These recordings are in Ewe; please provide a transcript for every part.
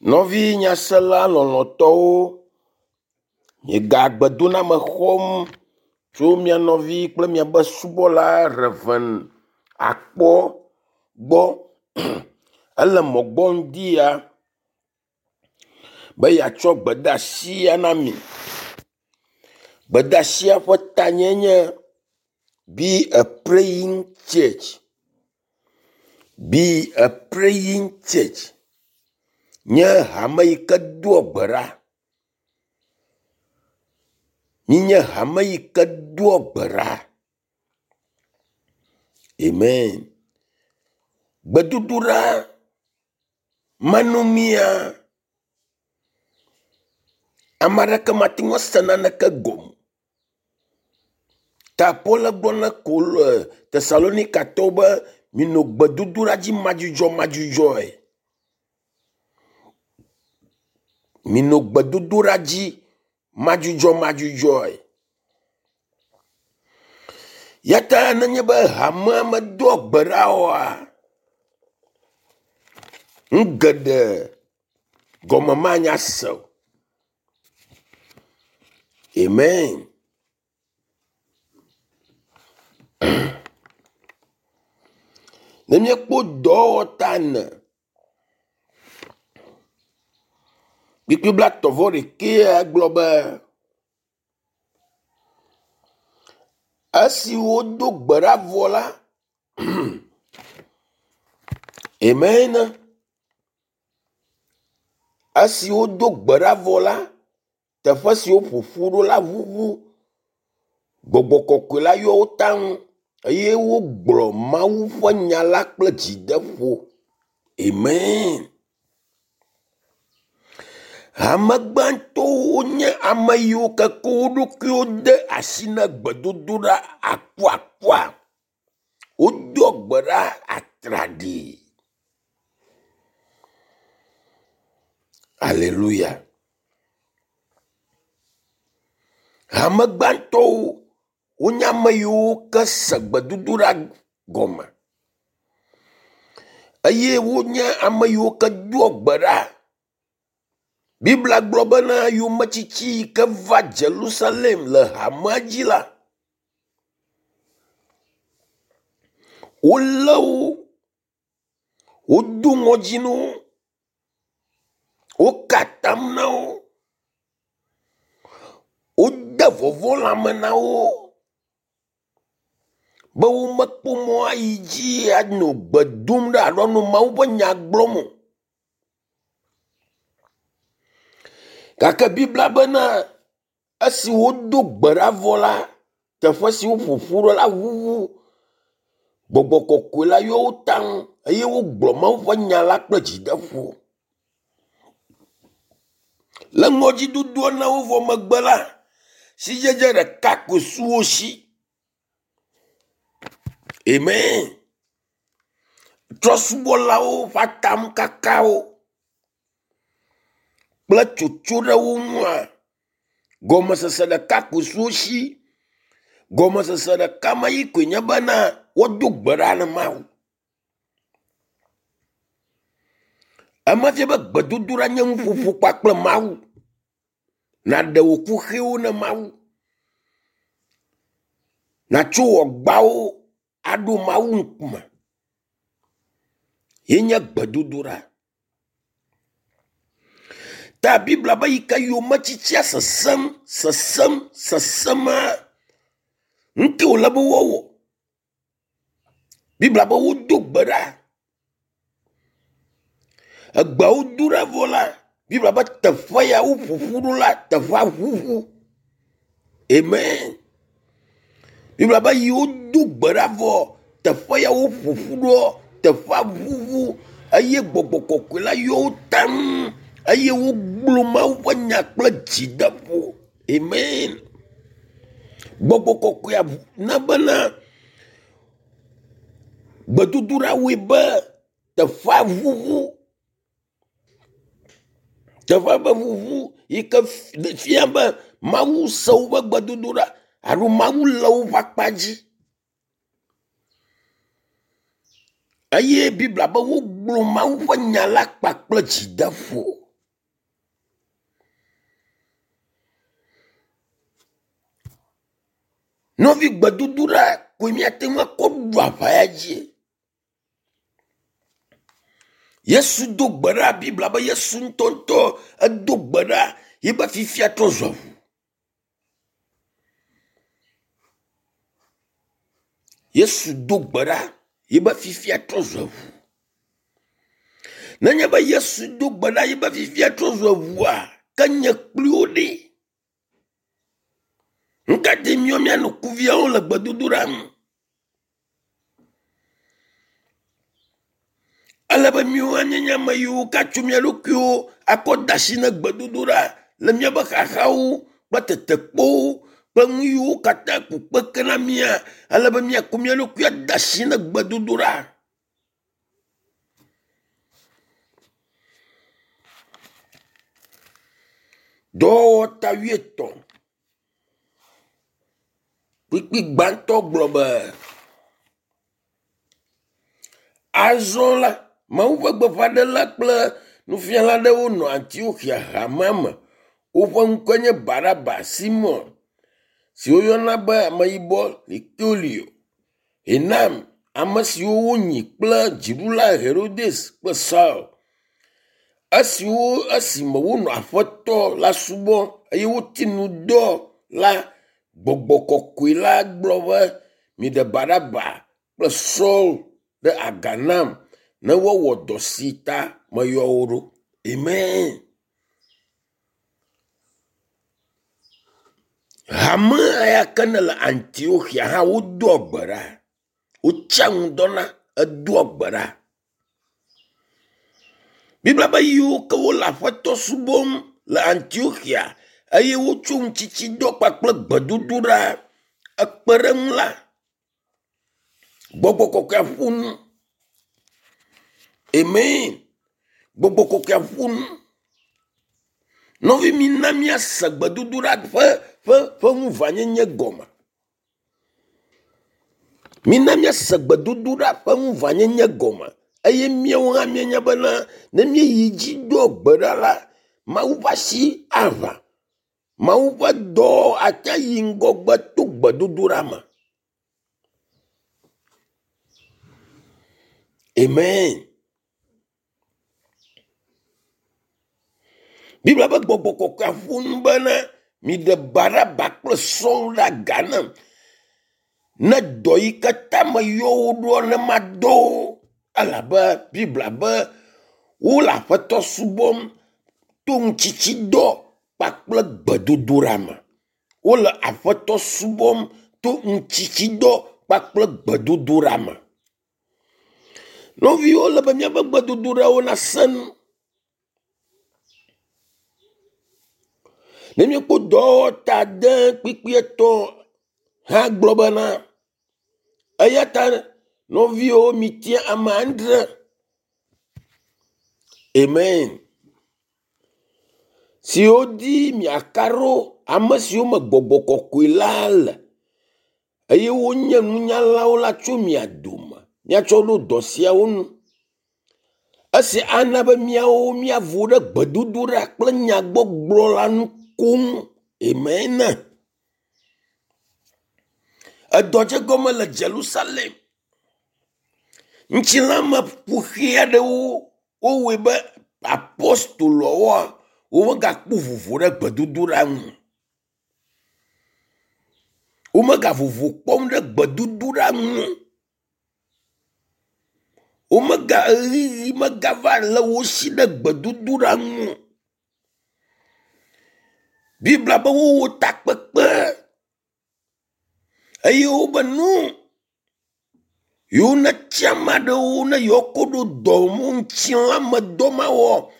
Nɔvi nyasela lɔlɔ̃tɔwo, miega gbedoname xɔm tso mia nɔvi kple miaƒe subɔla Rev. Akpɔ gbɔ. Ele mɔ gbɔ ŋdi ya be yeatsɔ gbedeasi ya na mi. Gbedeasia ƒe tanye nye “Be a praying church, be a praying church” nye hame yi ke doa gbe ɖa. Minye hame yi ke doa gbe ɖa. Amen. Gbedodoɖa manɔmea, ame aɖeke mate ŋu ase naneke gɔme o. Ta Paul gblɔ na Kol Tesalonikatɔwo be minɔ gbedodoɖa dzi madzudzɔmadzudzɔe. Minɔ gbedodoɖa dzi madzudzɔmadzudzɔe. Ya ta nenye be hamea medoa gbe ɖa oa, nu geɖe gɔme manya se o. Amen. Ne míekpɔ dɔwɔta ene kpukpui blaetɔ̃ vɔ ɖekɛa gblɔ be esi wodo gbe ɖa vɔ la, amen. Esi wodo gbe ɖa vɔ la, teƒe si woƒo ƒu ɖo la ʋuʋu. Gbɔgbɔ kɔkɔe la yɔ wo taŋ eye wogblɔ Mawu ƒe nya la kple dzideƒo. Amen. Hame gbãtɔwo nye ame yiwo ke ko wo ɖokuiwo de asi na gbedodoɖa akuakua. Wodoa gbe ɖa atraɖii. Aleluya. Hame gbãtɔwo wonye ame yiwo ke se gbedodoɖa gɔme eye wonye ame yiwo ke doa gbe ɖa. Biblia gblɔ bena yometsitsi yi ke va Jerusalem le hamea dzi la, wolé wo, wodo ŋɔdzi na wo, woka atam na wo, wode vɔvɔ̃ lãme na wo be womekpɔ mɔ ayi dzi anɔ gbe dom ɖa alo anɔ Mawu ƒe nya gblɔm o. Gake Biblia bena esi wodo gbe ɖa vɔ la, teƒe si woƒo ƒu ɖo la ʋuʋu. Gbɔgbɔ kɔkɔe la yɔ wo taŋ eye wogblɔ Mawu ƒe nya la kple dzideƒo. Le ŋɔdzidodoa na wo vɔ megbe la, sidzedze ɖeka koe su wo si. Amen. Trɔ̃subɔlawo ƒe atamkakawo kple tsotso ɖe wo ŋua, gɔmesese ɖeka koe su wo si. Gɔmesese ɖeka ma yi koe nye bena woado gbe ɖa na Mawu. Ema fia be gbedodoɖa nye nuƒoƒo kpakple Mawu. Nàɖe wò kuxiwo ne Mawu. Nàtso wò agbawo aɖo Mawu ŋkume. Ye nye gbedodoɖa. Ta Biblia be yi ke yometsitsia sesẽm, sesẽm, sesẽmaa, nu ke wòle be woawɔ. Biblia be wodo gbe ɖa. Egbeawo do ɖa vɔ la, Biblia be teƒe ya woƒo ƒu ɖo la, teƒea ʋuʋu. Amen. Biblia be yi wodo gbe ɖa vɔ, teƒe ya woƒo ƒu ɖoa, teƒea ʋuʋu eye gbɔgbɔ kɔkɔe la yɔ wo taŋ eye wogblɔ Mawu ƒe nya kple dzideƒo. Amen. Gbɔgbɔ kɔkɔea na bena gbedodoɖa wɔe be teƒea ʋuʋu. Teƒea ƒe ʋuʋu yi ke fia be Mawu se woƒe gbedodoɖa alo Mawu le woƒe akpa dzi. Eye Biblia be wogblɔ Mawu ƒe nya la kpakple dzideƒo. Nɔvi gbedodoɖa koe míate ŋu akɔ ɖu aʋa ya dzi. Yesu do gbe ɖa, Biblia be Yesu ŋutɔŋutɔ edo gbe ɖa yibe fifia trɔ zu aʋu. Yesu do gbe ɖa yibe fifia trɔ zu eʋu. Nenye be Yesu do gbe ɖa yibe fifia trɔ zu eʋua, ke nye kpli wo ɖe. Nu ka te míɔ míanɔ kuviawo le gbedodoɖa me? Ele be míwo míanye ame yiwo katso mía ɖokuiwo akɔ de asi na gbedodoɖa le míaƒe xaxawo kple tetekpɔwo kple nu yiwo katã ku kpeke na mía. Ele be míakɔ mía ɖokui ade asi na gbedodoɖa. Dɔwɔwɔ ta wuietɔ̃. Kpukpui gbãtɔ gblɔ be, Azɔ la, Mawu ƒe gbeƒãɖela kple nufiala aɖewo nɔ Antioxia hamea me. Woƒe ŋkɔe nye Barnaba, Simɔn si woyɔna be Ameyibɔ Liktoio, Enam, ame siwo wonyi kple dziɖula Herodes kple Saul. Esiwo esime wonɔ Aƒetɔ la subɔm eye woti nu dɔ la, gbɔgbɔ kɔkɔe la gblɔ be, Miɖe Barnaba kple Saul ɖe aga nam ne woawɔ dɔ si ta meyɔ wo ɖo. Amen. Hame ya ke ne le Antioxia hã wodoa gbe ɖa. Wotsia ŋu dɔna edoa gbe ɖa. Biblia be yiwo ke wole Aƒetɔ subɔm le Antioxia eye wotso ŋutsitsidɔ kpakple gbedodoɖa ekpe ɖe eŋu la, gbɔgbɔ kɔkɔea ƒo nu. Amen. Gbɔgbɔ kɔkɔea ƒo nu. Nɔvi mina míase gbedodoɖa ƒe ƒe ƒe ŋuʋãnyenye gɔme. Mina míase gbedodoɖa ƒe ŋuʋãnyenye gɔme eye míawo hã míenya bena ne míeyi dzi doa gbe ɖa la, Mawu ƒe asi aʋã. Mawu ƒe dɔ ate yi ŋgɔgbe to gbedodoɖa me. Amen. Biblia ƒe gbɔgbɔ kɔkɔea ƒo nu bena miɖe Baraba kple Saul ɖe aga nam. Ne dɔ yi ke ta meyɔ wo ɖoa ne madɔ wo elabe Biblia be wole Aƒetɔ subɔm to ŋutsitsidɔ kpakple gbedodoɖa me. Wole Aƒetɔ subɔm to ŋutsitsidɔ kpakple gbedodoɖa me. Nɔviwo le be míaƒe gbedodoɖawo nasẽ nu. Ne míekpɔ dɔwɔwɔ ta ade kpukpui etɔ̃ hã gblɔ bena eya ta nɔviwo mitia ame adre. Amen. Siwo dzi miaka ɖo ame siwo me gbɔgbɔ kɔkɔe la le eye wonye nunyalawo la tso mia dome miatsɔ ɖo dɔ siawo nu. Esi ana be míawo míavo ɖe gbedodoɖa kple nyagbɔgblɔ la nu koŋ. Amen. Edɔ dze gɔme le Jerusalem. Ŋutilãme kuxi aɖewo wowɔe be apostoloawoa womegakpɔ vovo ɖe gbedodoɖa ŋu. Womegavovo kpɔm ɖe gbedodoɖa ŋu. Womega ɣeyiɣi megava le wo si ɖe gbedodoɖa ŋu. Biblia be wowɔ takpekpe eye wobe nu yewo netia ame aɖewo ne yewoakɔ ɖo dɔ ŋutilãme dɔ ma wɔ.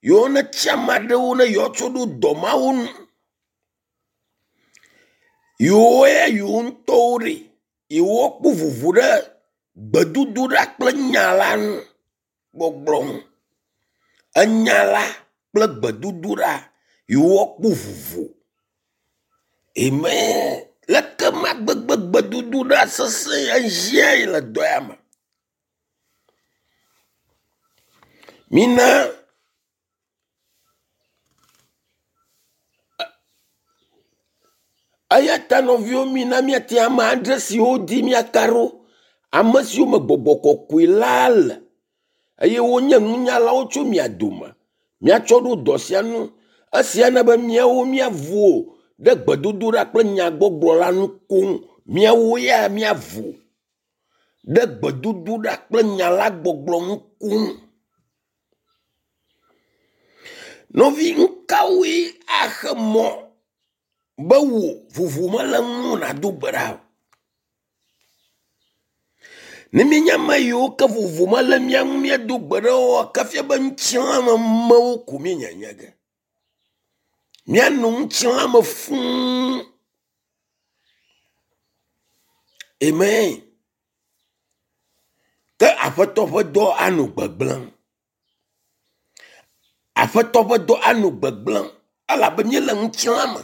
Yewo netia ame aɖewo ne yewoatsɔ ɖo dɔ mawo nu. Yewo ya yewo ŋutɔwo ɖe yewoakpɔ vovo ɖe gbedodoɖa kple nya la ŋu gbɔgblɔ ŋu. Enya la kple gbedodoɖa yewoakpɔ vovo. Amen. Leke ma gbegbe gbedodoɖa sesẽ ehiãe le dɔ ya me. Mina Eya ta nɔviwo mina míatia ame adre siwo di míaka ɖo, ame siwo me gbɔgbɔ kɔkɔe la le eye wonye nunyalawo tso mia dome. Míatsɔ ɖo dɔ sia nu. Esia na be míawo míavo ɖe gbedodoɖa kple nyagbɔgblɔ la nu koŋ. Míawo ya míavo ɖe gbedodoɖa kple nya la gbɔgblɔ ŋu koŋ. Nɔvi, nu kawoe axe mɔ be wò vovo mele ŋu nàdo gbe ɖa o? Ne míenye ame yiwo ke vovo mele mía ŋu míado gbe ɖa oa, ke fia be ŋutilãmemewo ko míenyanya ge. Míanɔ ŋutilãme fũu. Amen. Ke Aƒetɔ ƒe dɔ anɔ gbegblẽm. Aƒetɔ ƒe dɔ anɔ gbegblẽm elabe míele ŋutilã me,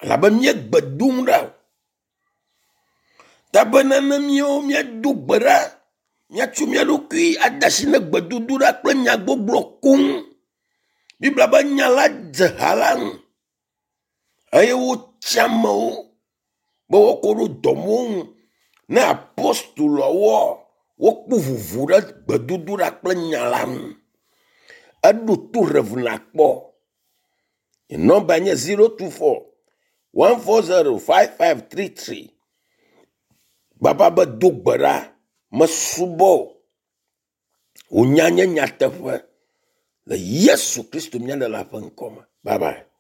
elabe míegbe dom ɖa o. Ta bena ne míawo míado gbe ɖa, míatso mía ɖokui ade asi ne gbedodoɖa kple nyagbɔgblɔ koŋ. Biblia be nya la dze ha la ŋu eye wotsi amewo be woakɔ ɖo dɔmewo ŋu. Ne apostoloawoa, wokpɔ vovo ɖe gbedodoɖa kple nya la ŋu. Eɖo to Rev nakpɔ. Nɔmba nye 024 140 5533. Baba be do gbe ɖa, mesubɔ o. Wò nya nye nyateƒe le Yesu Kristo mía Ɖela ƒe ŋkɔ me. Bye bye.